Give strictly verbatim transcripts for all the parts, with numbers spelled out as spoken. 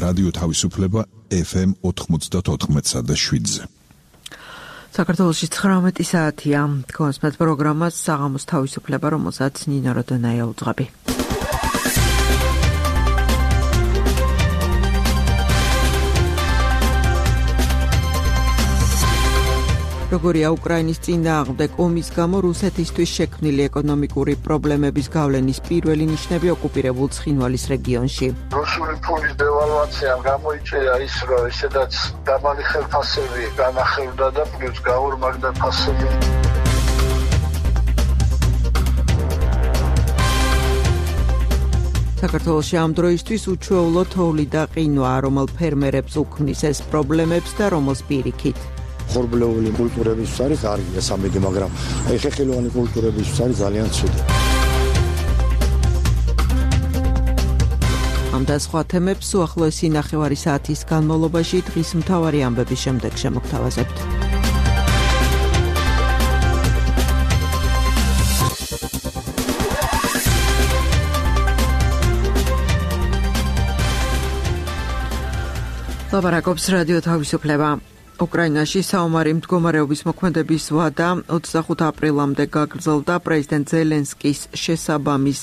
რადიო თავისუფლება ეფ ემ ოთხმოცდაოთხ და შვიდზე. საქართველოში ცხრამეტი საათია. გონსმეთ პროგრამას საღამოს თავისუფლება, რომელსაც ნინო როდონაია უძღვები. როგორია უკრაინის წინააღმდეგ ომის გამო რუსეთისთვის შექმნილი ეკონომიკური პრობლემების გავლენის პირველი ნიშნები ოკუპირებულ ცხინვალის რეგიონში. რუსული ფულის დევალვაციამ გამოიწვია ის, რომ ისედაც დაბალი ხელფასები განახევდა და პლუს გაორმაგდა ფასები. საქართველოში ამ დროისთვის უჩვეულო თოვლი და ყინვა, რომელ ფერმერებს უქმნის ეს პრობლემებს და რომელს პირიქით. ხორბლეული კულტურების არის არის სამედი, მაგრამ აი ხეხილოვანი კულტურების არის ძალიან ცუდი. ამ და სხვა თემებს უახლოესი ნახევარი საათის განმავლობაში დღის მთავარი ამბების შემდეგ შემოგთავაზებთ. ლაპარაკობს რადიო თავისუფლება. უკრაინაში საომარი მდგომარეობის მოქმედების ვადა ოცდახუთ აპრილამდე გაგრძელდა. პრეზიდენტ ზელენსკის შესაბამის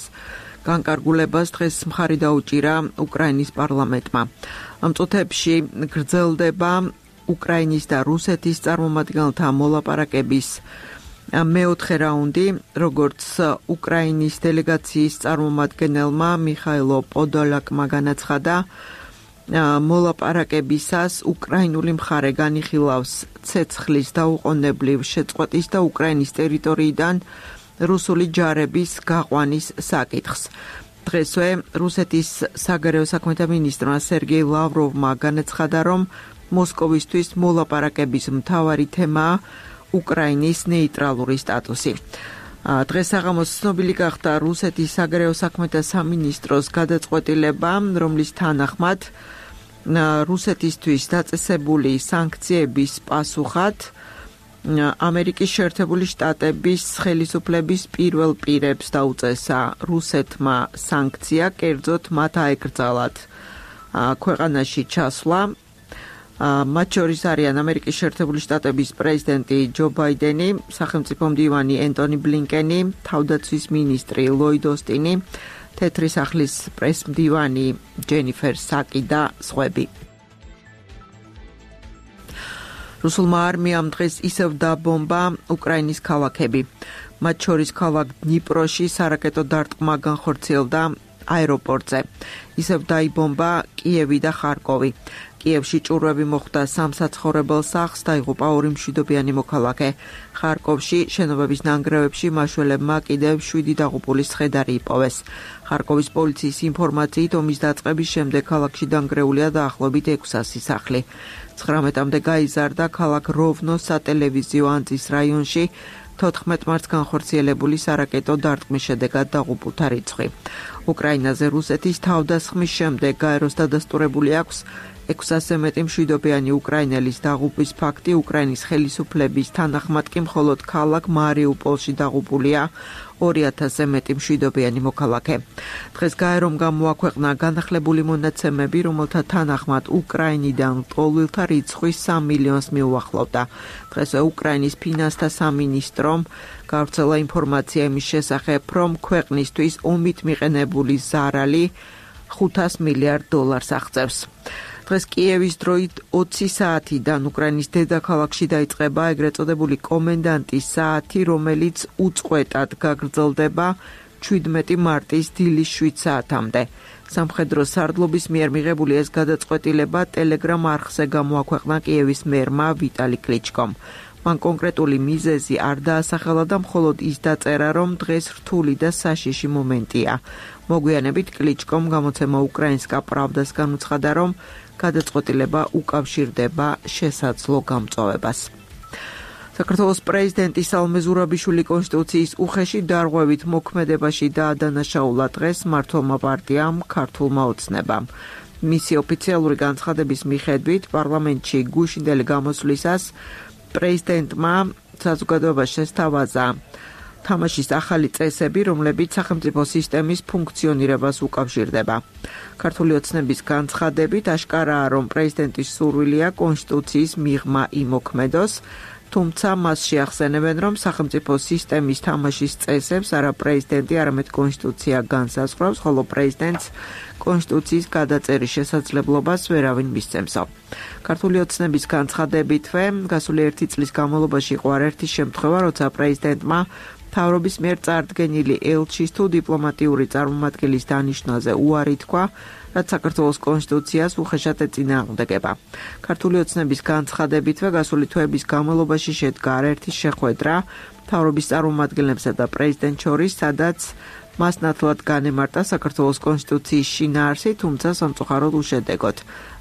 განკარგულებას დღეს მხარი დაუჭირა უკრაინის პარლამენტმა. ამ წუთებში გრძელდება უკრაინის და რუსეთის წარმომადგენელთა მოლაპარაკების მეოთხე რაუნდი, როგორც უკრაინის დელეგაციის წარმომადგენელმა მიხაილო პოდოლაკმა განაცხადა, მოლაპარაკებისას უკრაინული მხარე განიხილავს ცეცხლის დაუყოვნებლივ შეწყვეტის და უკრაინის ტერიტორიიდან რუსული ჯარების გაყვანის საკითხს. დღესვე რუსეთის საგარეო საქმეთა მინისტრმა სერგეი ლავროვმა განაცხადა, რომ მოსკოვისთვის მოლაპარაკების მთავარი თემაა უკრაინის ნეიტრალური სტატუსი. დღეს საღამოს ცნობილი გახდა რუსეთის საგარეო საქმეთა სამინისტროს გადაწყვეტილება, რომლის თანახმად რუსეთისთვის დაწესებული სანქციების პასუხად ამერიკის შეერთებული შტატების ხელისუფლების პირველ პირებს დაუწესა რუსეთმა სანქცია, კერძოდ მათ აეკრძალათ ქვეყანაში ჩასვლა. მათ შორის არიან ამერიკის შეერთებული შტატების პრეზიდენტი ჯო ბაიდენი, სახელმწიფო მდივანი ენტონი ბლინკენი, თავდაცვის მინისტრი ლოიდ ოსტინი, თეთრი სახლის პრესმდივანი ჯენიფერ საკი და სხვები. რუსულმა არმიამ დღეს ისევ დაბომბა უკრაინის ქალაქები. მათ შორის ქალაქ დნიპროში სარაკეტო დარტყმა განხორციელდა აეროპორტზე. ისევ დაიბომბა კიევი და ხარკოვი. კიევში ჭურვები მოხვდა სამ საცხოვრებელ სახლს, დაიღუპა ორი მშვიდობიანი მოქალაქე. ხარკოვში შენობების ნანგრევებში მაშველებმა კიდევ შვიდი დაღუპულის ცხედარი იპოვეს. ხარკოვის პოლიციის ინფორმაციით ომის დაწყების შემდეგ ქალაქში დანგრეულია დაახლოებით ექვსასი სახლი. ცხრამეტამდე გაიზარდა ქალაქ როვნოს სატელევიზიო ანძის რაიონში თოთხმეტ მარტს განხორციელებული სარაკეტო დარტყმის შედეგად დაღუპულთა რიცხვი. უკრაინაზე რუსეთის თავდასხმის შემდეგ გაეროს დადასტურებული აქვს ექვსასზე მეტი მშვიდობიანი უკრაინელის დაღუპვის ფაქტი. უკრაინის ხელისუფლების თანახმად კი მხოლოდ ქალაქ მარიუპოლში დაღუპულია ორი ათასზე მეტი მშვიდობიანი მოქალაქე. დღეს გაერომ გამოაქვეყნა განახლებული მონაცემები, რომელთა თანახმად უკრაინიდან ლტოლვილთა რიცხვი სამ მილიონს მიუახლოვდა. დღესვე უკრაინის ფინანსთა სამინისტრომ გავრცელა ინფორმაცია იმის შესახებ, რომ ქვეყნისთვის ომით მიყენებული ზარალი ხუთას მილიარდ დოლარს აღწევს. დღეს კიევის დროით ოცი საათიდან უკრაინის დედაქალაქში დაიწყება ეგრეთ წოდებული კომენდანტის საათი, რომელიც უწყვეტად გაგრძელდება ჩვიდმეტი მარტის დილის შვიდ საათამდე. სამხედრო სარდლობის მიერ მიღებული ეს გადაწყვეტილება ტელეგრამ არხზე გამოაქვეყნა კიევის მერმა ვიტალი კლიჩკომ. მან კონკრეტული მიზეზი არ დაასახელა და მხოლოდ ის დაწერა, რომ დღეს რთული და საშიში მომენტია. მოგვიანებით კლიჩკომ გამოცემა უკრაინსკა პრავდას განუცხადა, რომ გადაწყვეტილება უკავშირდება შესაძლო გამწვავებას. საქართველოს პრეზიდენტი სალომე ზურაბიშვილი კონსტიტუციის უხეში დარღვევით მოქმედებაში დაადანაშაულა დღეს მმართველმა პარტიამ ქართულმა ოცნებამ. მისი ოფიციალური განცხადების მიხედვით პარლამენტში გუშინდელი გამოსვლისას პრეზიდენტმა საზოგადოებას შესთავაზა თამაშის ახალი წესები, რომლებიც სახელმწიფო სისტემის ფუნქციონირებას უკავშირდება. ქართული ოცნების განცხადებით აშკარაა, რომ პრეზიდენტის სურვილია კონსტიტუციის მიღმა იმოქმედოს, თუმცა მას შეახსენებენ, რომ სახელმწიფო სისტემის თამაშის წესებს არა პრეზიდენტი, არამედ კონსტიტუცია განსაზღვრავს, ხოლო პრეზიდენტს კონსტიტუციის გადაწერის შესაძლებლობას ვერავინ მისცემსო. ქართული ოცნების განცხადებითვე, გასული ერთი წლის განმავლობაში იყო არაერთი შემთხვევა, როცა პრეზიდენტმა მთავრობის მიერ წარდგენილი ელჩის თუ დიპლომატიური წარმომადგენლის დანიშვნაზე უარი თქვა, რაც საქართველოს კონსტიტუციას უხეშად ეწინააღმდეგება. ქართული ოცნების განცხადებითვე, გასული თვეების განმავლობაში შედგა არაერთი შეხვედრა მთავრობის წარმომადგენლებსა და პრეზიდენტს შორის, სადაც მას ნათლად განემარტა საქართველოს კონსტიტუციის შინაარსი, თუმცა სამწუხაროდ უშედეგოდ.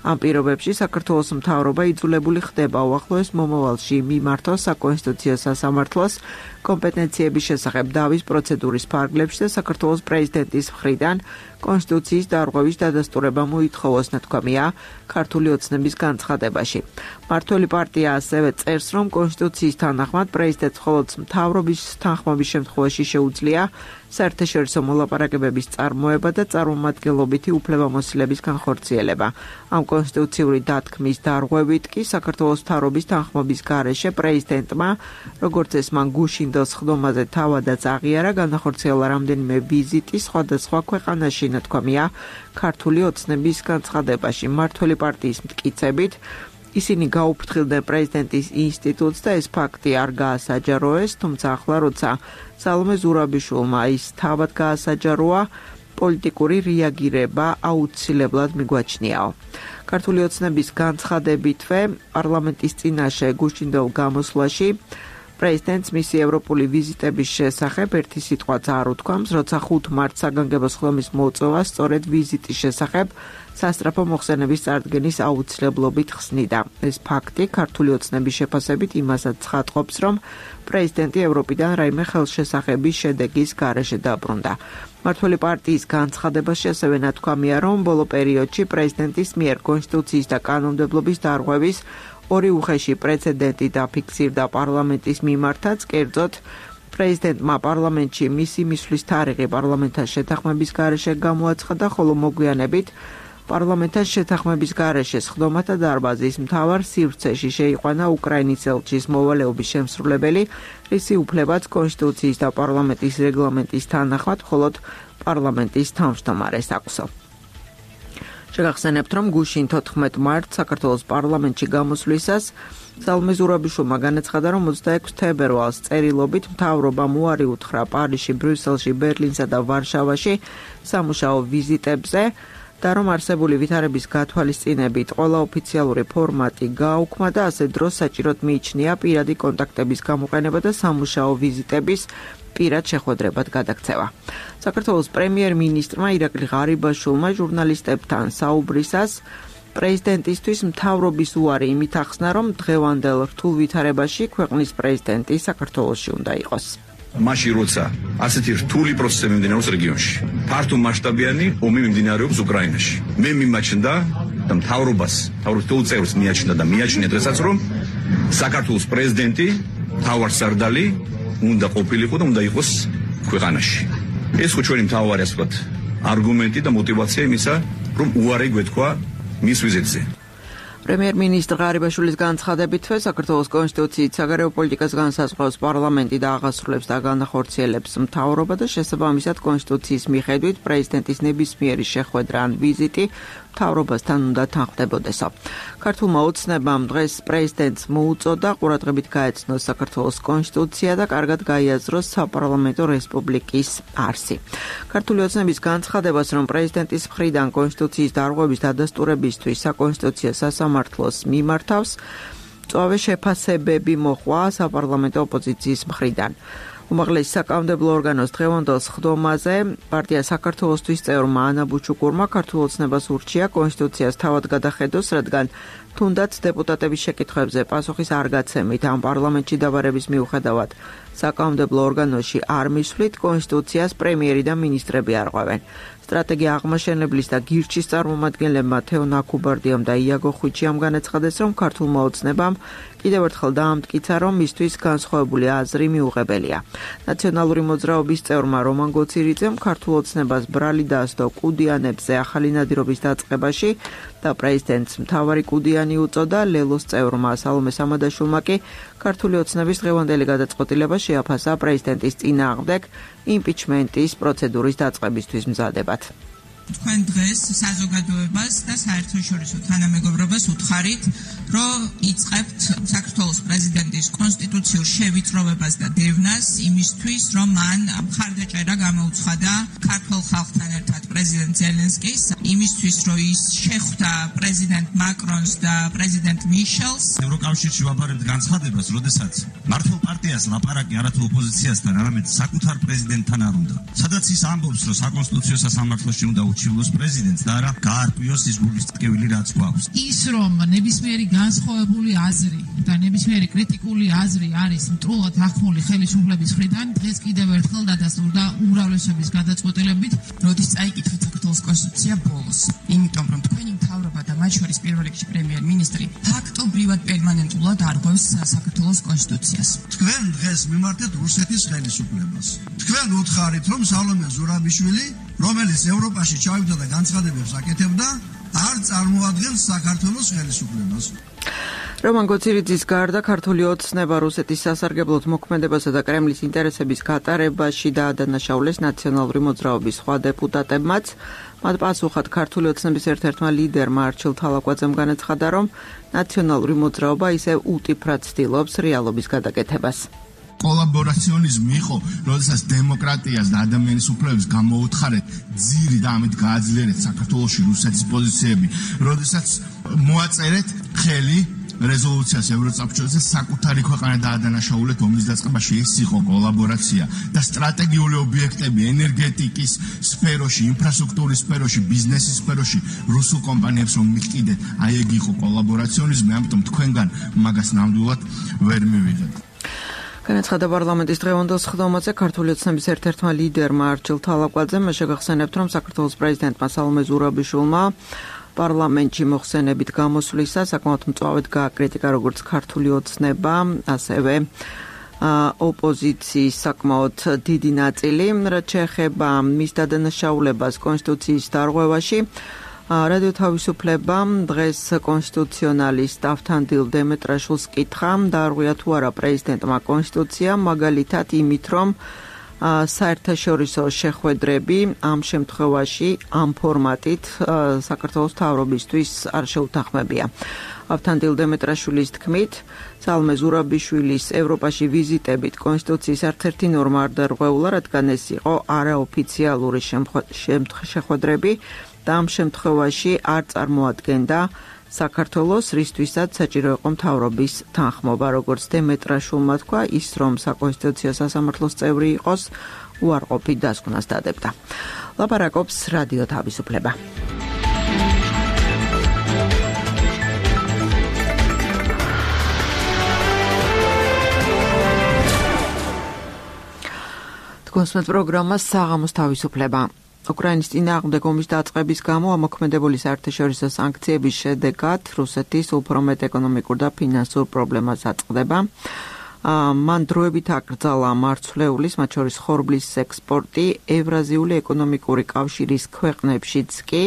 ამ პირობებში საქართველოს მთავრობა იძულებული ხდება უახლოეს მომავალში მიმართოს საკონსტიტუციო სასამართლოს კომპეტენციების შესახებ დავის პროცედურის ფარგლებში და საქართველოს პრეზიდენტის მხრიდან კონსტიტუციის დარღვევის დადასტურება მოითხოვოს, ნათქვამია ქართული ოცნების განცხადებაში. მმართველი პარტია ასევე წერს, რომ კონსტიტუციის თანახმად პრეზიდენტს მხოლოდ მთავრობის თანხმობის შემთხვევაში შეუძლია საერთაშორისო მოლაპარაკებების წარმოება და წარმომადგენლობითი უფლებამოსილების განხორციელება. ამ კონსტიტუციური დათქმის დარღვევით კი საქართველოს მთავრობის თანხმობის გარეშე პრეზიდენტმა, როგორც ეს მან გუშინდელს ხდომაზე თავადაც აღიარა, განახორციელა რამდენიმე ვიზიტი სხვადასხვა ქვეყანაში, ნათქვამია ქართული ოცნების განცხადებაში. მმართველი პარტიის მტკიცებით, ისინი გაუფრთხილდნენ პრეზიდენტის ინსტიტუტს და ეს ფაქტი არ გაასაჯაროეს, თუმცა ახლა როცა სალომე ზურაბიშვილმა ის თავად გაასაჯაროა, პოლიტიკური რეაგირება აუცილებლად მიგვაჩნიაო. ქართული ოცნების განცხადებითვე, პარლამენტის წინაშე გუშინდელ გამოსვლაში პრეზიდენტს მისი ევროპული ვიზიტების შესახებ ერთი სიტყვაც არ უთქვამს, როცა ხუთ მარტს საგანგებო ხდომის მოწვევა სწორედ ვიზიტის შესახებ სასწრაფო მოხსენების წარდგენის აუცილებლობით ხსნიდა. ეს ფაქტი ქართული ოცნების შეფასებით იმასაც ცხადყოფს, რომ პრეზიდენტი ევროპიდან რაიმე ხელშესახების შედეგის გარეშე დაბრუნდა. მმართველი პარტიის განცხადებაში ასევე ნათქვამია, რომ ბოლო პერიოდში პრეზიდენტის მიერ კონსტიტუციის და კანონმდებლობის დარღვევის ორი უხეში პრეცედენტი დაფიქსირდა პარლამენტის მიმართაც, კერძოდ პრეზიდენტმა პარლამენტში მისი მისვლის თარიღი პარლამენტთან შეთანხმების გარეშე გამოაცხადა, ხოლო მოგვიანებით პარლამენტთან შეთანხმების გარეშე სხდომათა დარბაზის მთავარ სივრცეში შეიყვანა უკრაინის ელჩის მოვალეობის შემსრულებელი, რისი უფლებაც კონსტიტუციის და პარლამენტის რეგლამენტის თანახმად მხოლოდ პარლამენტის თავმჯდომარეს აქვსო. შეგახსენებთ, რომ გუშინ თოთხმეტ მარტს საქართველოს პარლამენტში გამოსვლისას სალომე ზურაბიშვილმა განაცხადა, რომ ოცდაექვსი თებერვალს წერილობით მთავრობამ უარი უთხრა პარიზში, ბრიუსელში, ბერლინსა და ვარშავაში სამუშაო ვიზიტებზე და რომ არსებული ვითარების გათვალისწინებით ყველა ოფიციალური ფორმატი გააუქმა და ასე დროს საჭიროდ მიიჩნია პირადი კონტაქტების გამოყენება და სამუშაო ვიზიტების პირად შეხვედრებად გადაქცევა. საქართველოს პრემიერ-მინისტრმა ირაკლი ღარიბაშვილმა ჟურნალისტებთან საუბრისას პრეზიდენტისთვის მთავრობის უარი იმით ახსნა, რომ დღევანდელ რთულ ვითარებაში ქვეყნის პრეზიდენტი საქართველოში უნდა იყოს. მაშინ როცა ასეთი რთული პროცესები მიმდინარეობს რეგიონში, ფართო მასშტაბიანი ომი მიმდინარეობს უკრაინაში. მე მიმაჩნდა და მთავრობას, მთავრობის თულ წევრს მიაჩნდა და მიაჩნია დღესაც, რომ საქართველოს პრეზიდენტი მთავარსარდალი უნდა ყოფილიყო და უნდა იყოს ქვეყანაში. ეს ხო ჩვენი მთავარი, ასე ვთქვათ, არგუმენტი და мотиваცია იმისა, რომ უარი გვეთქვა მის ვიზიტზე. პრემიერ-მინისტრ ღარიბაშვილის განცხადებითვე, საქართველოს კონსტიტუციით საგარეო პოლიტიკას განსაზღვრავს პარლამენტი და აღასრულებს და განახორციელებს მთავრობა და შესაბამისად კონსტიტუციის მიხედვით პრეზიდენტის ნებისმიერი შეხვედრა ან ვიზიტი მთავრობასთან უნდა თანხმდებოდესო. ქართულმა ოცნებამ დღეს პრეზიდენტს მოუწოდა ყურადღებით გაეცნოს საქართველოს კონსტიტუცია და კარგად გაიაზროს საპარლამენტო რესპუბლიკის არსი. ქართული ოცნების განცხადებას, რომ პრეზიდენტის მხრიდან კონსტიტუციის დარღვევის დადასტურებისთვის საკონსტიტუციო სასამართლოს მიმართავს, მწვავე შეფასებები მოჰყვა საპარლამენტო ოპოზიციის მხრიდან. უმაღლესი საკანონმდებლო ორგანოს დღევანდელ სხდომაზე პარტია საქართველოსთვის წევრმა ანა ბუჩუკურმა ქართულ ოცნებას ურჩია კონსტიტუციას თავად გადახედოს, რადგან თუნდაც დეპუტატების შეკითხვებზე პასუხის არ გაცემით ამ პარლამენტში დაბარების მიუხედავად საკანონმდებლო ორგანოში არ მისვლით, კონსტიტუციას პრემიერი და მინისტრები არღვევენ. სტრატეგია აღმაშენებლის და გირჩის წარმომადგენლებმა თეო ნაკუბარდიამ და იაგო ხვიჩიამ განაცხადეს, რომ ქართულმა ოცნებამ კიდევ ერთხელ დაამტკიცა, რომ მისთვის განსხვავებული აზრი მიუღებელია. ნაციონალური მოძრაობის წევრმა რომან გოცირიძემ ქართულ ოცნებას ბრალი დაასდო კუდიანებზე ახალი ნადირობის დაწყებაში და პრეზიდენტს მთავარი კუდიანი უწოდა. ლელოს წევრმა სალომე სამადაშვილმა კი ქართული ოცნების დღევანდელი გადაწყვეტილება შეაფასა პრეზიდენტის წინააღმდეგ იმპიჩმენტის პროცედურის დაწყებისთვის მზადებად. თქვენ დღეს საზოგადოებას და საერთაშორისო თანამეგობრობას უთხარით, რომ იწყებთ საქართველოს პრეზიდენტის კონსტიტუციურ შევიწროვებას და დევნას იმისთვის, რომ მან მხარდაჭერა გამოუცხადა ქართულ ხალხთან ერთად პრეზიდენტ ზელენსკის, იმისთვის, რომ ის შეხვდა პრეზიდენტ მაკრონს და პრეზიდენტ მიშელს. ევროკავშირში ვაბარებთ განცხადებას, როდესაც მართლ პარტიას ლაპარაკი არათუ ოპოზიციასთან, არამედ საკუთარ პრეზიდენტთან არ უნდა. სადაც ის ამბობს, რომ საკონსტიტუციო სასამართლოში უნდა უჩივლოს პრეზიდენტს და არა გაარკვიოს ის გულის ტკივილი რაც გვაქვს. ის რომ ნებისმიერი განსხვავებული აზრი და ნებისმიერი კრიტიკული აზრი არის მტრულად ახმული ხელისუფლების მხრიდან, დღეს კიდევ ერთხელ დადასტურდა უმრავლესობის გადაწყვეტილებით, როდის წაიკითხეთ საქართველოს კონსტიტუცია ბოლოს. იმიტომ რომ თქვენი მთავრობა და მათ შორის პირველ რიგში პრემიერ-მინისტრი ფაქტობრივად პერმანენტულად არღვევს საქართველოს კონსტიტუციას. თქვენ დღეს მიმართეთ რუსეთის ხელისუფლებას. თქვენ უთხარით, რომ სალომე ზურაბიშვილი, რომელიც ევროპაში ჩავიდა და განცხადებებს აკეთებდა, არ წარმოადგენს საქართველოს ხელისუფლებას. რომან გოცირიძის გარდა ქართული ოცნება რუსეთის სასარგებლოდ მოქმედებასა და კრემლის ინტერესების გატარებაში დაადანაშაულეს ნაციონალური მოძრაობის სხვა დეპუტატებმაც. მათ პასუხად ქართული ოცნების ერთ-ერთმა ლიდერმა არჩილ თალაკვაძემ განაცხადა, რომ ნაციონალური მოძრაობა ისევ უტიფრად ცდილობს რეალობის გადაკეთებას. კოლაბორაციონიზმი იყო, როდესაც დემოკრატიას და ადამიანის უფლებებს გამოუთხარეთ ძირი და ამით გააძლიერეთ საქართველოში რუსეთის პოზიციები, როდესაც მოაწერეთ ხელი რეზოლუციას ევროსაბჭოზე საკუთარი ქვეყანა დაადანაშაულეთ ომის დაწყებაში. ეს იყო კოლაბორაცია და სტრატეგიული ობიექტები ენერგეტიკის სფეროში, ინფრასტრუქტურის სფეროში, ბიზნესის სფეროში რუსულ კომპანიებს რომ მიყიდეთ, აი ეგ იყო კოლაბორაციონიზმი, ამიტომ თქვენგან მაგას ნამდვილად ვერ მივიღეთ. განაცხადა პარლამენტის დღევანდელ სხდომაზე ქართული ოცნების ერთ-ერთმა ლიდერმა არჩილ თალაკვაძემ. შეგახსენებთ, რომ საქართველოს პრეზიდენტმა სალომე ზურაბიშვილმა პარლამენტში მოხსენებით გამოსვლისა საკმაოდ მწვავედ გააკრიტიკა როგორც ქართული ოცნება, ასევე ოპოზიციის საკმაოდ დიდი ნაწილი, რაც შეეხება მის დადანაშაულებას კონსტიტუციის დარღვევაში. რადიო თავისუფლებამ დღეს კონსტიტუციონალისტ ავთანდილ დემეტრაშვილს კითხა, დაარღვია თუ არა პრეზიდენტმა კონსტიტუცია, მაგალითად იმით, რომ საერთაშორისო შეხვედრები ამ შემთხვევაში ამ ფორმატით საქართველოს მთავრობისთვის არ შეუთანხმებია. ავთანდილ დემეტრაშვილის თქმით, სალომე ზურაბიშვილის ევროპაში ვიზიტებით კონსტიტუციის არცერთი ნორმა არ დარღვეულა, რადგან ეს იყო არაოფიციალური შეხვედრები და ამ შემთხვევაში არ წარმოადგენდა საქართველოს, რისთვისაც საჭირო იყო მთავრობის თანხმობა. როგორც დემეტრაშვილმა თქვა, ის რომ საკონსტიტუციო სასამართლოს წევრი იყოს, უარყოფით დასკვნას დადებდა. ლაპარაკობს რადიო თავისუფლება. თქვენს პროგრამას საღამოს თავისუფლება. უკრაინის წინააღმდეგ ომის დაწყების გამო ამოქმედებული საერთაშორისო სანქციების შედეგად რუსეთის უფრო მეტ ეკონომიკურ და ფინანსურ პრობლემას აწყდება. მან დროებით აკრძალა მარცვლეულის, მათ შორის ხორბლის ექსპორტი ევრაზიული ეკონომიკური კავშირის ქვეყნებშიც კი.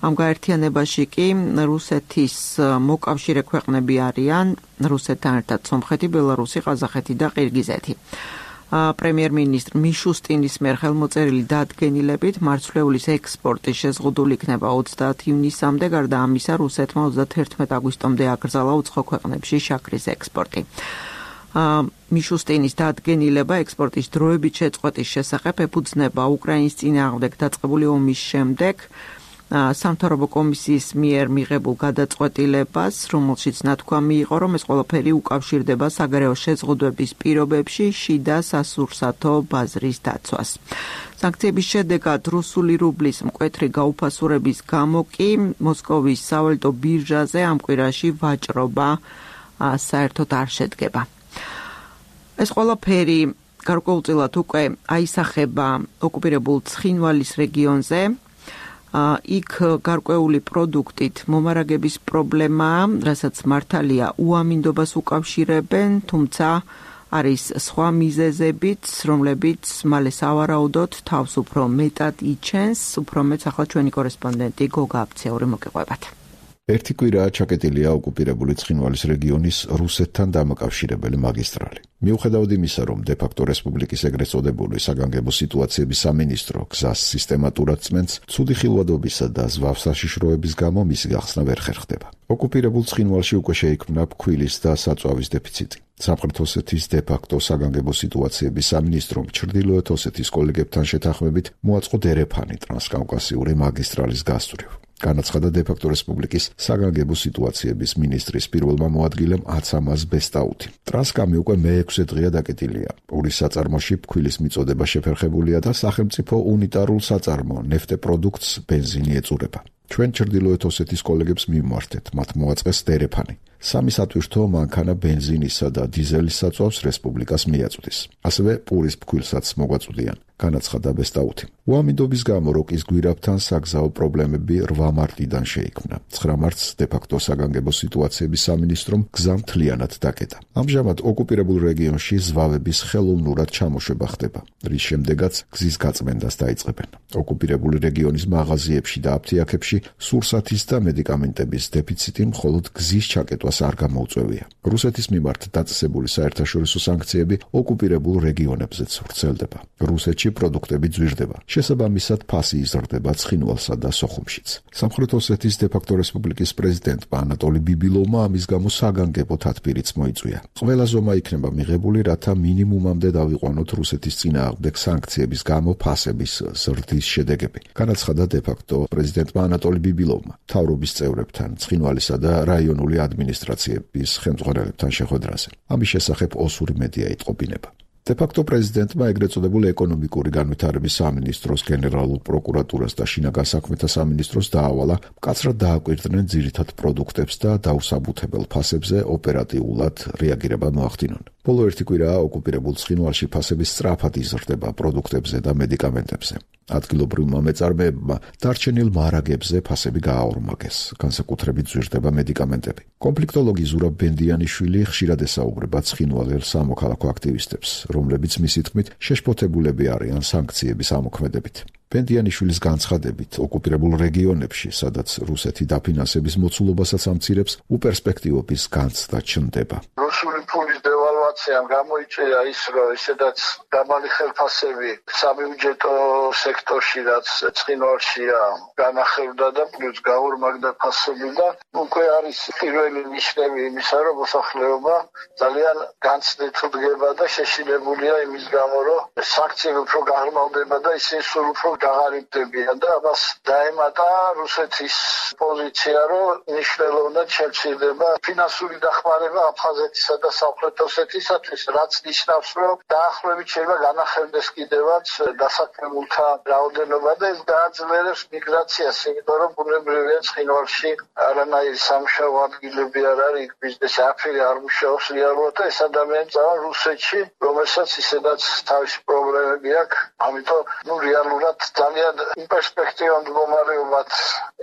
ამ გაერთიანებაში კი რუსეთის მოკავშირე ქვეყნები არიან რუსეთთან ერთად სომხეთი, ბელარუსი, ყაზახეთი და ყირგიზეთი. პრემიერ-მინისტრ მიშუსტინის მიერ ხელმოწერილი დადგენილებით მარცვლეულის ექსპორტი შეზღუდული იქნება ოცდაათი ივნისამდე, გარდა ამისა რუსეთმა ოცდაათი აგვისტომდე აკრძალა უცხო ქვეყნებში შაქრის ექსპორტი. მიშუსტინის დადგენილება ექსპორტის დროებით შეწყვეტის შესახებ ეფუძნება უკრაინის წინააღმდეგ დაწყებული ომის შემდეგ სამთავრობო კომისიის მიერ მიღებულ გადაწყვეტილებას, რომელშიც ნათქვამი იყო, რომ ეს ყველაფერი უკავშირდება საგარეო შეზღუდვების პირობებში შიდა სასურსათო ბაზრის დაცვას. სანქციების შედეგად რუსული რუბლის მკვეთრი გაუფასურების გამო კი მოსკოვის სავალუტო ბირჟაზე ამ კვირაში ვაჭრობა საერთოდ არ შედგება. ეს ყველაფერი გარკვეულწილად უკვე აისახება ოკუპირებულ ცხინვალის რეგიონზე. იქ გარკვეული პროდუქტით მომარაგების პრობლემაა, რასაც მართალია უამინდობას უკავშირებენ, თუმცა არის სხვა მიზეზებიც, რომლებიც მალე სავარაუდოდ თავს უფრო მეტად იჩენს, უფრო მეც ახლა ჩვენი კორესპონდენტი გოგა აფციური მოგიყვებათ. ერთი კვირაა ჩაკეტილია ოკუპირებული ცხინვალის რეგიონის რუსეთთან დამაკავშირებელი მაგისტრალი. მიუხედავად იმისა, რომ დე-ფაქტო რესპუბლიკის ეგრეთ წოდებული საგანგებო სიტუაციების სამინისტრო გზას სისტემატურად წმენს, ცუდი ხილვადობისა და ზვავ საშიშროების გამო მისი გახსნა ვერ ხერხდება. ოკუპირებულ ცხინვალში უკვე შეიქმნა ფქვილის და საწვავის დეფიციტი. სამხრეთ ოსეთის დე-ფაქტო საგანგებო სიტუაციების სამინისტრომ ჩრდილოეთ ოსეთის კოლეგებთან შეთანხმებით მოაწყო დერეფანი ტრანსკავკასიური მაგისტრალის გასწვრივ. განაცხადა დე-ფაქტო რესპუბლიკის საგანგებო სიტუაციების მინისტრის პირველმა მოადგილემ აცამაზ ბესტაუთი. ტრანსკამი უკვე მეექვსე დღეა დაკეტილია. პურის საწარმოში ფქვილის მიწოდება შეფერხებულია და სახელმწიფო უნიტარულ საწარმო ნეფტეპროდუქტს ბენზინი ეწურება. ჩვენ ჩრდილოეთ ოსეთის კოლეგებს მიმართეთ, მათ მოაწყეს დერეფანი. სამი სატვირთო მანქანა ბენზინისა და დიზელის საწვავს რესპუბლიკას მიაწვდის. ასევე პურის ფქვილსაც მოგვაწვდიან. განაცხადა ბესტაუთი. უამინდობის გამო როკის გვირაბთან საგზაო პრობლემები რვა მარტიდან შეიქმნა. ცხრა მარტს დე-ფაქტო საგანგებო სიტუაციების სამინისტრომ გზა მთლიანად დაკეტა. ამჟამად ოკუპირებულ რეგიონში ზვავების ხელოვნურად ჩამოშვება ხდება, რის შემდეგაც გზის გაწმენდას დაიწყებენ. ოკუპირებული რეგიონის მაღაზიებში და აფთიაქებში სურსათის და მედიკამენტების დეფიციტი მხოლოდ გზის ჩაკეტვას არ გამოუწვევია. რუსეთის მიმართ დაწესებული საერთაშორისო სანქციები ოკუპირებულ რეგიონებზეც ვრცელდება. რუსეთში პროდუქტები ძვირდება. შესაბამისად ფასი იზრდება ცხინვალსა და სოხუმშიც. სამხრეთ ოსეთის დე-ფაქტო რესპუბლიკის პრეზიდენტმა ანატოლი ბიბილოვმა ამის გამო საგანგებო თათბირიც მოიწვია. ყველა ზომა იქნება მიღებული, რათა მინიმუმამდე დავიყვანოთ რუსეთის წინააღმდეგ სანქციების გამო ფასების ზრდის შედეგები. განაცხადა დე-ფაქტო პრეზიდენტმა ანატოლი ბიბილოვმა მთავრობის წევრებთან, ცხინვალისა და რაიონული ადმინისტრაციების ხელმძღვანელებთან შეხვედრაზე. ამის შესახებ ოსური მედია იტყობინება. დე-ფაქტო პრეზიდენტმა ეგრეთ წოდებული ეკონომიკური განვითარების სამინისტროს, გენერალურ პროკურატურას და შინაგან საქმეთა სამინისტროს დაავალა მკაცრად დააკვირდნენ ძირითად პროდუქტებს და დაუსაბუთებელ ფასებზე ოპერატიულად რეაგირება მოახდინონ. ბოლო ერთი კვირაა ოკუპირებულ ცხინვალში ფასების სწრაფად იზრდება პროდუქტებზე და მედიკამენტებზე. ადგილობრივმა მეწარმეებმა დარჩენილ მარაგებზე ფასები გააორმაგეს, განსაკუთრებით ზვირდება მედიკამენტები. კონფლიქტოლოგი ზურაბ ბენდიანიშვილი ხშირად ესაუბრება ცხინვალელ სამოქალაქო აქტივისტებს, რომლებიც მისი თქმით შეშფოთებულები არიან სანქციების ამოქმედებით. ბენდიანიშვილის განცხადებით, ოკუპირებულ რეგიონებში, სადაც რუსეთი დაფინანსების მოცულობასაც ამცირებს, უპერსპექტივობის განცდა ჩნდება. რუსული ფულის დევალვაციამ გამოიწვია ის, რომ ისედაც დამალი ხელფასები საბიუჯეტო სექტორში, რაც ცხინვალშია, განახევდა და პლუს გაორმაგდა ფასები და უკვე არის პირველი ნიშნები იმისა, რომ მოსახლეობა ძალიან განცდით დგება და შეშინებულია იმის გამო, რომ სანქციები უფრო გაღრმავდება და ისინი სულ უფრო გაღარიბდებიან და ამას დაემატა რუსეთის პოზიცია, რომ მნიშვნელოვნად შემცირდება ფინანსური დახმარება აფხაზეთისა და სამხრეთ ოსეთისათვის, რაც ნიშნავს, რომ დაახლოებით შეიძლება განახევდეს კიდევაც დასაქმებულთა რაოდენობა და ეს დააძლიერებს მიგრაციას, იმიტომ რომ ბუნებრივია ცხინვალში არანაირი სამუშაო ადგილები არ არის, ბიზნესი აფერი არ მუშაობს რეალურად და ეს ადამიანები წავენ რუსეთში, რომელსაც ისედაც თავისი პრობლემები აქვს, ამიტომ ნუ რეალურად ძალიან პერსპექტივამ მდგომარეობად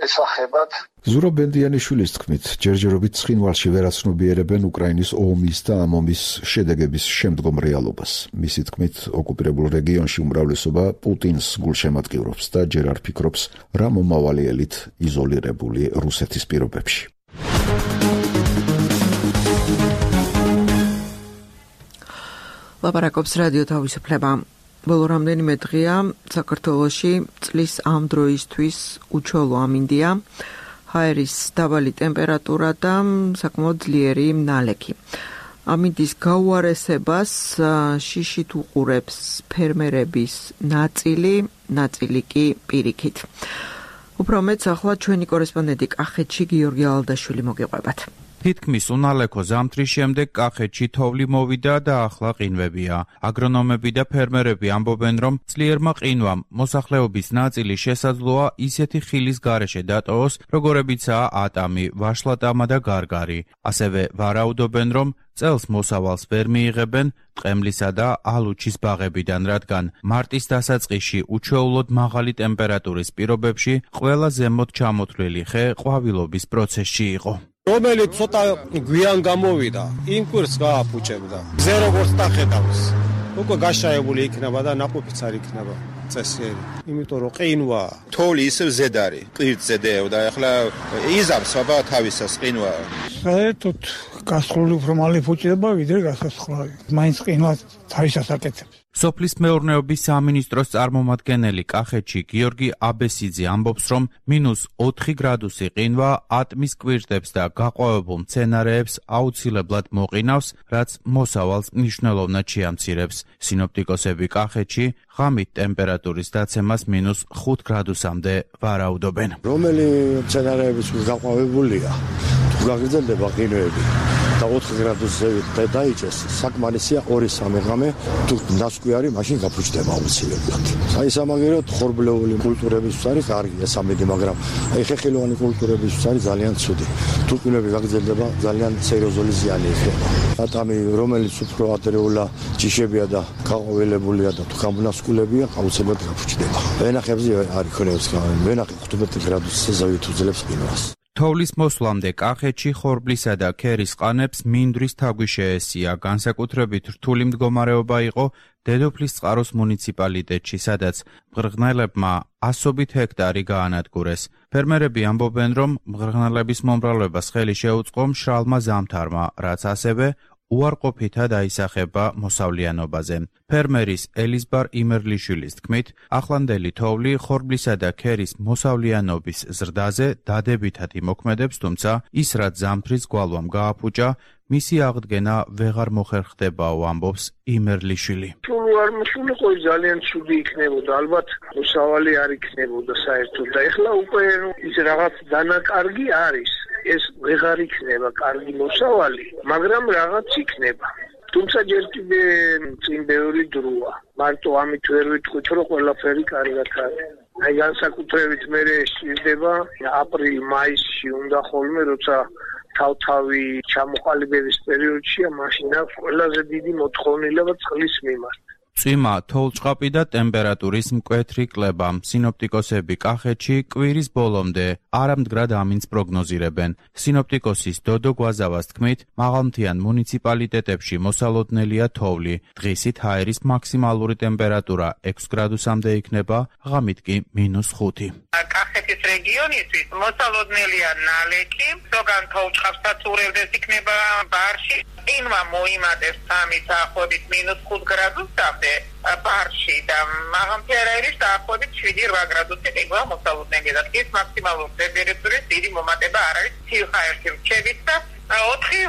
ესახებათ. ზურაბ ბენდიანიშვილის თქმით, ჯერჯერობით ცხინვალში ვერაცნობიერებენ უკრაინის ომის და ამ ომის შედეგების შემდგომ რეალობას. მისი თქმით, ოკუპირებულ რეგიონში უმრავლესობა პუტინს გულშემატკივრობს და ჯერ არ ფიქრობს რა მომავალიელით იზოლირებული რუსეთის პირობებში. ლაპარაკობს რადიო თავისუფლება. ბოლო რამდენიმე დღეა საქართველოში წლის ამ დროისთვის უჩვეულო ამინდია. ჰაერის დაბალი ტემპერატურა და საკმაოდ ძლიერი ნალექი. ამინდის გაუარესებას შიშით უყურებს ფერმერების ნაწილი, ნაწილი კი პირიქით. უფრო მეც ახლა ჩვენი კორესპონდენტი კახეთში გიორგი ალდაშვილი მოგიყვებათ. თითქმის უნალექო ზამთრის შემდეგ კახეთში თოვლი მოვიდა და ახლა ყინვებია. აგრონომები და ფერმერები ამბობენ, რომ ძლიერმა ყინვამ მოსახლეობის ნაწილი შესაძლოა ისეთი ხილის გარეშე დატოვოს, როგორებიცაა ატამი, ვაშლატამა და გარგარი. ასევე ვარაუდობენ, რომ წელს მოსავალს ვერ მიიღებენ ტყემლისა და ალუჩის ბაღებიდან, რადგან მარტის დასაწყისში უჩვეულოდ მაღალი ტემპერატურის პირობებში ყველა ზემოთ ჩამოთვლილი ხე ყვავილობის პროცესში იყო. რომელიც ცოტა გვიან გამოვიდა, იმ კვირს გააფუჭებდა. ზე როგორც დახედავს, უკვე გაშაებული იქნება და ნაყოფიც არ იქნება. წესიერი, იმიტომ რომ ყინვა თოვლი ისევ ზედ არის, კვირტზე დევდა, ახლა იზამს აბა თავისას ყინვა. საერთოდ გასხლული უფრო მალე ფუჭდება, ვიდრე გასასხლავი. მაინც ყინვა თავისას აკეთებს. სოფლის მეურნეობის სამინისტროს წარმომადგენელი კახეთში გიორგი აბესიძე ამბობს, რომ მინუს ოთხი გრადუსი ყინვა ატმის კვირტებს და გაყვავებულ მცენარეებს აუცილებლად მოყინავს, რაც მოსავალს მნიშვნელოვნად შეამცირებს. სინოპტიკოსები კახეთში ღამით ტემპერატურის დაცემას მინუს ხუთ გრადუსამდე ვარაუდობენ. რომელი მცენარეების გაყვავებულია, თუ გაგრძელდება ყინვები და ოთხ გრადუსზე დაიჭეს, საკმარისია ორი სამი ღამე, თუ ნასკვი არის, მაშინ გაფუჭდება აუცილებლად. აი სამაგეროთ ხორბლეული კულტურების არის კარგია სამედი, მაგრამ აი ხეხილოვანი კულტურების არის ძალიან ცუდი. თუ ყინვები გაგრძელდება, ძალიან სერიოზული ზიანი იქნება. ატამი, რომელიც უფრო ადრეულა ჯიშებია და გაყვავილებულია და თუ გამონასკულებია, აუცილებლად გაფუჭდება. ვენახებზე არ იქნებს გამი, ვენახი თხუთმეტ გრადუსზე ზევით უძლებს ყინვას. თოვლის მოსვლამდე კახეთში ხორბლისა და ქერის ყანებს მინდვრის თაგვი შეესია. განსაკუთრებით რთული მდგომარეობა იყო დედოფლისწყაროს მუნიციპალიტეტში, სადაც მღრღნელებმა ასობით ჰექტარი გაანადგურეს. ფერმერები ამბობენ, რომ მღრღნელების მომრავლებას ხელი შეუწყო მშრალმა ზამთარმა, რაც ასევე უარყოფითად აისახება მოსავლიანობაზე. ფერმერის ელიზბარ იმერლიშვილის თქმით, ახლანდელი თოვლი ხორბლისა და ქერის მოსავლიანობის ზრდაზე დადებითად იმოქმედებს, თუმცა ის რაც ზამთრის გვალვამ გააფუჭა, მისი აღდგენა ვეღარ მოხერხდებაო, ამბობს იმერლიშვილი. სულ არ მოსულიყო ძალიან ცუდი იქნებოდა, ალბათ მოსავალი არ იქნებოდა საერთოდ და ეხლა უკვე ის რაღაც დანაკარგი არის. ეს ვეღარ იქნება კარგი მოსავალი, მაგრამ რაღაც იქნება. თუმცა ჯერ კიდე წინ ბევრი დროა. მარტო ამით ვერ ვიტყვით, რომ ყველაფერი კარგად არის. აი განსაკუთრებით მე შედება აპრილ-მაისში უნდა ხოლმე, როცა თავთავი ჩამოყალიბების პერიოდშია, მაშინ აქვს ყველაზე დიდი მოთხოვნილება წყლის მიმართ. წვიმა, თოვლჭყაპი და ტემპერატურის მკვეთრი კლება. სინოპტიკოსები კახეთში კვირის ბოლომდე არამდგრად ამინდს პროგნოზირებენ. სინოპტიკოსის დოდო გვაზავას თქმით, მაღალმთიან მუნიციპალიტეტებში მოსალოდნელია თოვლი. დღისით ჰაერის მაქსიმალური ტემპერატურა ექვს გრადუსამდე იქნება, ღამით კი მინუს ხუთი. კახეთის რეგიონისთვის მოსალოდნელია ნალექი, ზოგან თოვლჭყაპსაც ურევდეს იქნება ბარში. ყინვა მოიმატებს სამი დაახლოებით მინუს ხუთ გრადუსამდე ბარში და მაღალმთიარეების დაახლოებით შვიდი რვა გრადუსი ყინვა მოსალოდნელია და დღის მაქსიმალური ტემპერატურის დიდი მომატება არ არის ცივ-ჰაერში რჩებით და ოთხი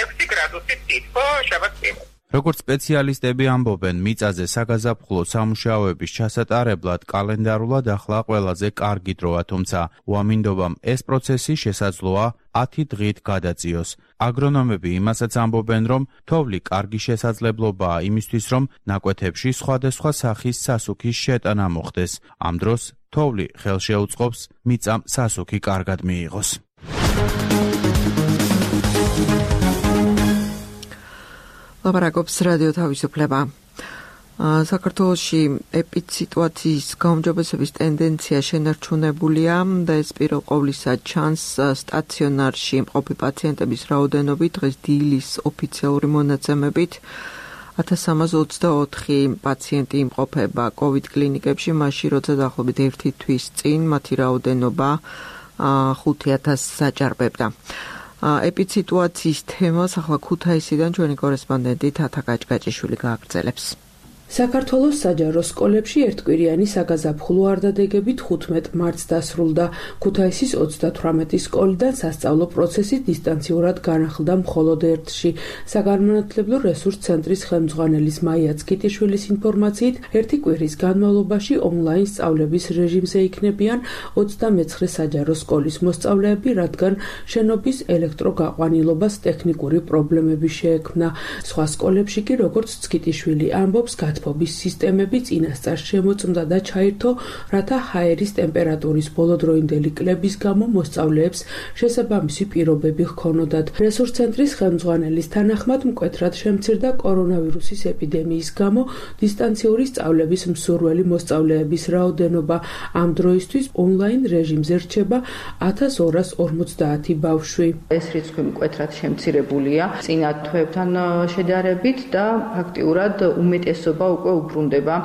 ექვსი გრადუსი თითქო შაბათ-კვირას. როგორც სპეციალისტები ამბობენ, მიწაზე საგაზაფხულო სამუშაოების ჩასატარებლად კალენდარულად ახლა ყველაზე კარგი დროა, თუმცა უამინდობამ ეს პროცესი შესაძლოა ათი დღით გადაწიოს. აგრონომები იმასაც ამბობენ, რომ თოვლი კარგი შესაძლებლობაა იმისთვის, რომ ნაკვეთებში სხვადასხვა სახის სასუქის შეტანა მოხდეს. ამ დროს თოვლი ხელშეუწყობს მიწამ სასუქი კარგად მიიღოს. ლაპარაკობს რადიო თავისუფლება. საქართველოში ეპიდსიტუაციის გაუმჯობესების ტენდენცია შენარჩუნებულია და ეს პირველ ყოვლისა ჩანს სტაციონარში მყოფი პაციენტების რაოდენობით. დღეს დილის ოფიციალური მონაცემებით ათას სამას ოცდაოთხი პაციენტი იმყოფება COVID კლინიკებში, მაშინ როცა დაახლოებით ერთი თვის წინ მათი რაოდენობა ხუთი ათასს საჭარბებდა. ეპიდსიტუაციის თემას ახლა ქუთაისიდან ჩვენი კორესპონდენტი თათა გაჭგაჭიშვილი გააგრძელებს. საქართველოს საჯარო სკოლებში ერთკვირიანი საგაზაფხულო არდადეგები თხუთმეტ მარტს დასრულდა. ქუთაისის ოცდათვრამეტი სკოლიდან სასწავლო პროცესი დისტანციურად განახლდა მხოლოდ ერთში. საგანმანათლებლო რესურს ცენტრის ხელმძღვანელის მაია ცკიტიშვილის ინფორმაციით, ერთი კვირის განმავლობაში ონლაინ სწავლების რეჟიმზე იქნებიან ოცდამეცხრე საჯარო სკოლის მოსწავლეები, რადგან შენობის ელექტროგაყვანილობას ტექნიკური პრობლემები შეექმნა. სხვა სკოლებში კი, როგორც ცკიტიშვილი ამბობს, უსაფრთხოების სისტემები წინასწარ შემოწმდა და ჩაირთო, რათა ჰაერის ტემპერატურის ბოლოდროინდელი კლების გამო მოსწავლეებს შესაბამისი პირობები ჰქონოდათ. რესურსცენტრის ხელმძღვანელის თანახმად მკვეთრად შემცირდა კორონავირუსის ეპიდემიის გამო დისტანციური სწავლების მსურველი მოსწავლეების რაოდენობა. ამ დროისთვის ონლაინ რეჟიმზე რჩება ათას ორას ორმოცდაათი ბავშვი. ეს რიცხვი მკვეთრად შემცირებულია წინა თვეებთან შედარებით და ფაქტიურად უმეტესობა უკვე უბრუნდება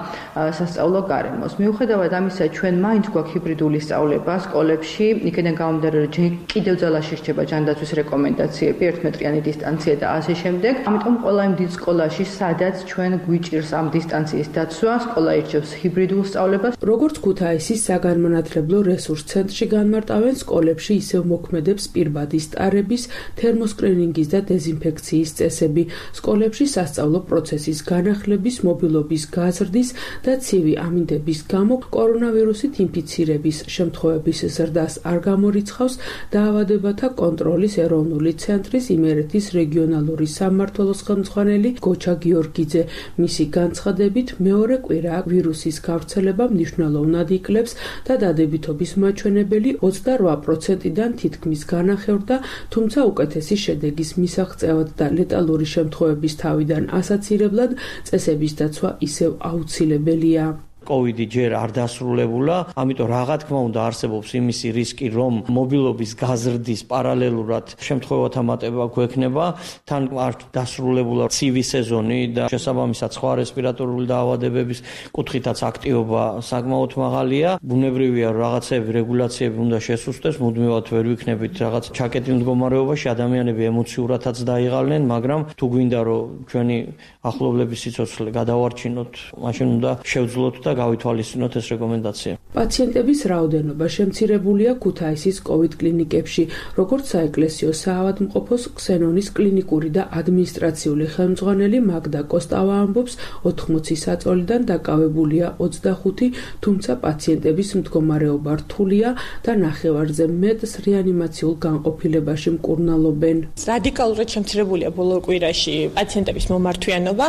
სასწავლო გარემოს. მიუხედავად ამისა, ჩვენ მაინც გვაქვს ჰიბრიდული სწავლება სკოლებში, იქიდან გამომდინარე, რომ კიდევ ძალაში რჩება ჯანდაცვის რეკომენდაციები, ერთმეტრიანი დისტანცია და ასე შემდეგ. ამიტომ ყველა იმ დიდ სკოლაში, სადაც ჩვენ გვიჭირს ამ დისტანციის დაცვა, სკოლა ირჩევს ჰიბრიდულ სწავლებას. როგორც ქუთაისის საგანმანათლებლო რესურს ცენტრში განმარტავენ, სკოლებში ისევ მოქმედებს პირბადი სტარების, თერმოსკრინინგის და დეზინფექციის წესები. სკოლებში სასწავლო პროცესის განახლების, მობილობის გაზრდის და ცივი ამინდების გამო კორონავირუსით ინფიცირების შემთხვევების ზრდას არ გამორიცხავს დაავადებათა კონტროლის ეროვნული ცენტრის იმერეთის რეგიონალური სამმართველოს ხელმძღვანელი გოჩა გიორგიძე. მისი განცხადებით, მეორე კვირა ვირუსის გავრცელება მნიშვნელოვნად იკლებს და დადებითობის მაჩვენებელი ოცდარვა პროცენტიდან თითქმის განახევრდა, თუმცა უკეთესი შედეგის მისაღწევად და ლეტალური შემთხვევების თავიდან ასაცირებლად წესების დაცვა ისევ აუცილებელია. კოვიდი ჯერ არ დასრულებულა, ამიტომ რა თქმა უნდა არსებობს იმისი რისკი, რომ მობილობის გაზრდის პარალელურად შემთხვევათა მატება გვექნება, თან არ დასრულებულა ცივი სეზონი და შესაბამისად სხვა რესპირატორული დაავადებების კუთხითაც აქტივობა საკმაოდ მაღალია. ბუნებრივია, რომ რაღაცები რეგულაციები უნდა შესუსტდეს, მუდმივად ვერ ვიქნებით რაღაც ჩაკეტილ მდგომარეობაში, ადამიანები ემოციურადაც დაიღალნენ, მაგრამ თუ გვინდა რომ ჩვენი ახლობლების სიცოცხლე გადავარჩინოთ, მაშინ უნდა შევძლოთ და გავითვალისწინოთ ეს რეკომენდაცია. პაციენტების რაოდენობა შემცირებულია ქუთაისის კოვიდ კლინიკებში, როგორც საეკლესიო საავადმყოფოს ქსენონის კლინიკური და ადმინისტრაციული ხელმძღვანელი მაგდა კოსტავა ამბობს, ოთხმოცი საწოლიდან დაკავებულია ოცდახუთი, თუმცა პაციენტების მდგომარეობა რთულია და ნახევარზე მეტს რეანიმაციულ განყოფილებაში მკურნალობენ. რადიკალურად შემცირებულია ბოლო კვირაში პაციენტების მომართვიანობა.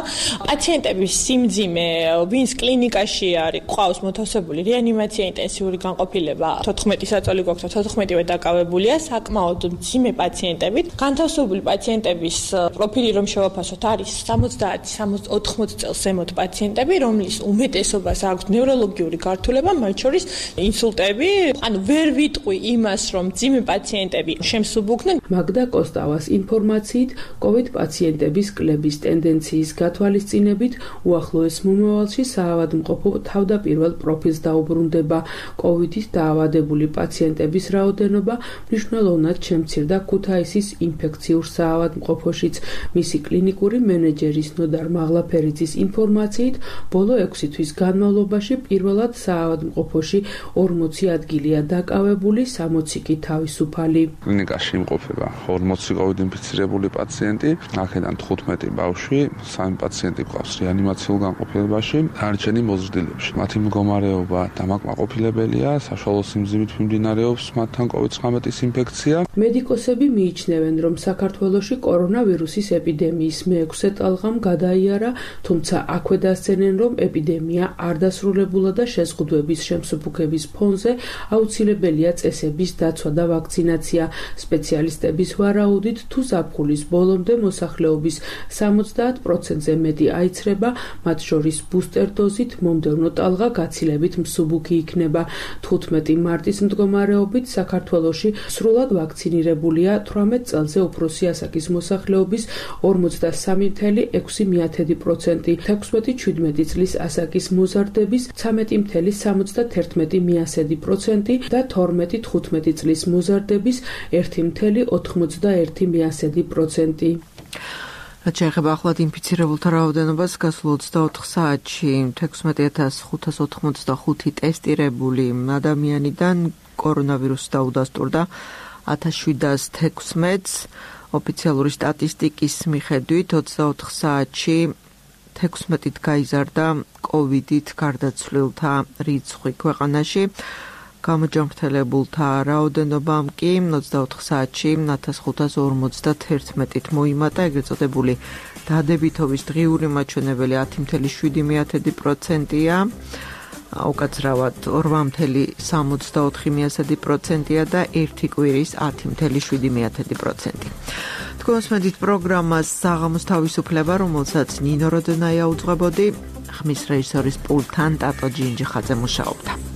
პაციენტების სიმძიმე, ვინც კლინიკაში არის ყავს მოთავსებული რეანიმაცია ინტენსიური განყოფილება, თოთხმეტი საწოლი გვაქვს და თოთხმეტივე დაკავებულია საკმაოდ მძიმე პაციენტებით. განთავსებული პაციენტების პროფილი რომ შევაფასოთ, არის სამოცდაათი ოთხმოცი წელს ზემოთ პაციენტები, რომლის უმეტესობას აქვს ნევროლოგიური გართულება, მათ შორის ინსულტები. ანუ ვერ ვიტყვი იმას, რომ მძიმე პაციენტები შემსუბუქნენ. მაგდა კოსტავას ინფორმაციით, კოვიდ პაციენტების კლების ტენდენციის გათვალისწინებით უახლოეს მომავალში საავადმყოფო თავდაპირველ პროფილს დაუბრუნდება. კოვიდით დაავადებული პაციენტების რაოდენობა მნიშვნელოვნად შემცირდა ქუთაისის ინფექციურ საავადმყოფოშიც. მისი კლინიკური მენეჯერის ნოდარ მაღლაფერიძის ინფორმაციით, ბოლო ექვსი თვის განმავლობაში პირველად საავადმყოფოში ორმოცი ადგილია დაკავებული, სამოცი კი თავისუფალი. კლინიკაში იმყოფება ორმოცი კოვიდ ინფიცირებული პაციენტი, აქედან თხუთმეტი ბავშვი, სამი პაციენტი გვყავს რეანიმაციულ განყოფილებაში, დანარჩენი მოზრდილებში. მათი მდგომარეობა დამაკმაყოფილებელია, საშუალო სიმძიმით მიმდინარეობს მათთან კოვიდ ცხრამეტის ინფექცია. მედიკოსები მიიჩნევენ, რომ საქართველოში კორონავირუსის ეპიდემიის მეექვსე ტალღამ გადაიარა, თუმცა აქვე დასცენენ, რომ ეპიდემია არ დასრულებულა და შეზღუდვების შემსუბუქების ფონზე აუცილებელია წესების დაცვა და ვაქცინაცია. სპეციალისტების ვარაუდით, თუ ზაფხულის ბოლომდე მოსახლეობის სამოცდაათ პროცენტზე მეტი აიცრება, მათ შორის ბუსტერ დოზით, მომდევნო ტალღა გაცილებით მსუბუქი იქნება. თხუთმეტი მარტის მდგომარეობით საქართველოში სრულად ვაქცინირებულია თვრამეტ წელზე უფროსი ასაკის მოსახლეობის ორმოცდასამი წელი ექვსი პროცენტი, თექვსმეტი შვიდმეტი წლის ასაკის მოზარდების ცხრამეტი წელი სამოცდაერთი პროცენტი და თორმეტი თხუთმეტი წლის მოზარდების ერთი წელი ოთხმოცდაერთი პროცენტი. რაც შეეხება ახლად ინფიცირებულთა რაოდენობას, გასულ ოცდაოთხ საათში თექვსმეტი ათას ხუთას ოთხმოცდახუთი ტესტირებული ადამიანიდან კორონავირუსი დაუდასტურდა ათას შვიდას თექვსმეტს. ოფიციალური სტატისტიკის მიხედვით ოცდაოთხ საათში თექვსმეტით გაიზარდა კოვიდით გარდაცვლილთა რიცხვი ქვეყანაში. გამოჯანმრთელებულთა რაოდენობამ კი ოცდაოთხ საათში ათას ხუთას ორმოცდაერთით მოიმატა, ეგრეთ წოდებული დადებითობის დღიური მაჩვენებელი ათი ფاصლე შვიდი პროცენტია, უკაცრავად ორი ფاصლე სამოცდაოთხი პროცენტია და ერთი კვირის ათი ფاصლე შვიდი პროცენტი. თქვენს მედით პროგრამას საღამოს თავისუფლება, რომელსაც ნინო როდონაია უძღვებოდი, ხმის რეჟისორის პულტთან ტატო ჯინჯიხაძე მუშაობდა.